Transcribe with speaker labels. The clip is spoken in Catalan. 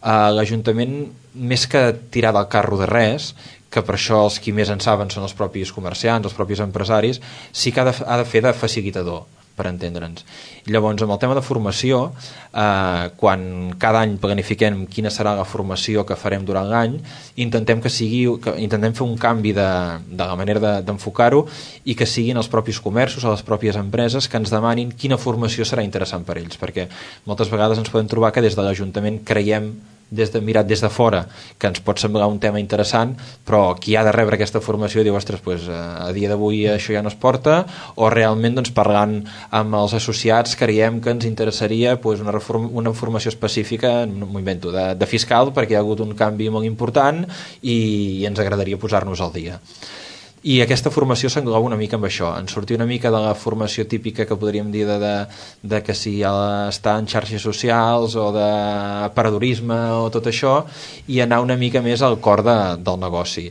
Speaker 1: L'Ajuntament, més que tirar del carro de res, que per això els qui més en saben són els propis comerciants, els propis empresaris, sí que ha de fer de facilitador, per entendre'ns. Llavors, amb el tema de formació, quan cada any planifiquem quina serà la formació que farem durant l'any, intentem fer un canvi de la manera d'enfocar-ho i que siguin els propis comerços o les pròpies empreses que ens demanin quina formació serà interessant per ells, perquè moltes vegades ens podem trobar que des de l'Ajuntament creiem, mirat des de fora, que ens pot semblar un tema interessant, però qui ha de rebre aquesta formació diu, ostres, a dia d'avui això ja no es porta, o realment parlant amb els associats creiem que ens interessaria una formació específica, m'ho invento, de fiscal, perquè hi ha hagut un canvi molt important i ens agradaria posar-nos al dia. I aquesta formació s'engloba una mica amb això, en sortir una mica de la formació típica que podríem dir de que si està en xarxes socials o de paradorisme o tot això, i anar una mica més al cor del negoci.